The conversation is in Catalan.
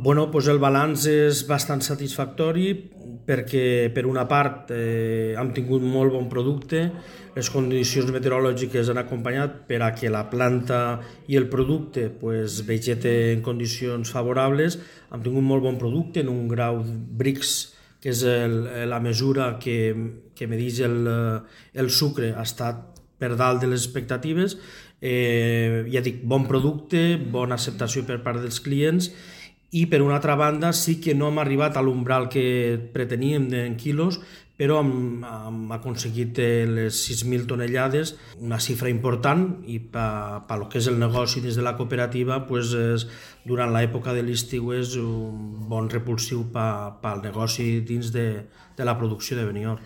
Bueno, doncs el balanç és bastant satisfactori perquè, per una part, hem tingut molt bon producte, les condicions meteorològiques han acompanyat per a que la planta i el producte vegete en condicions favorables. Hem tingut molt bon producte en un grau Brix, que és la mesura que medeix el sucre, ha estat per dalt de les expectatives. Ja dic, bon producte, bona acceptació per part dels clients, i per una altra banda sí que no hem arribat a l'umbral que preteníem en quilos, però hem aconseguit les 6.000 tonellades, una xifra important, i pel que és el negoci dins de la cooperativa, durant l'època de l'estiu és un bon repulsiu pel negoci dins de la producció de Benidorm.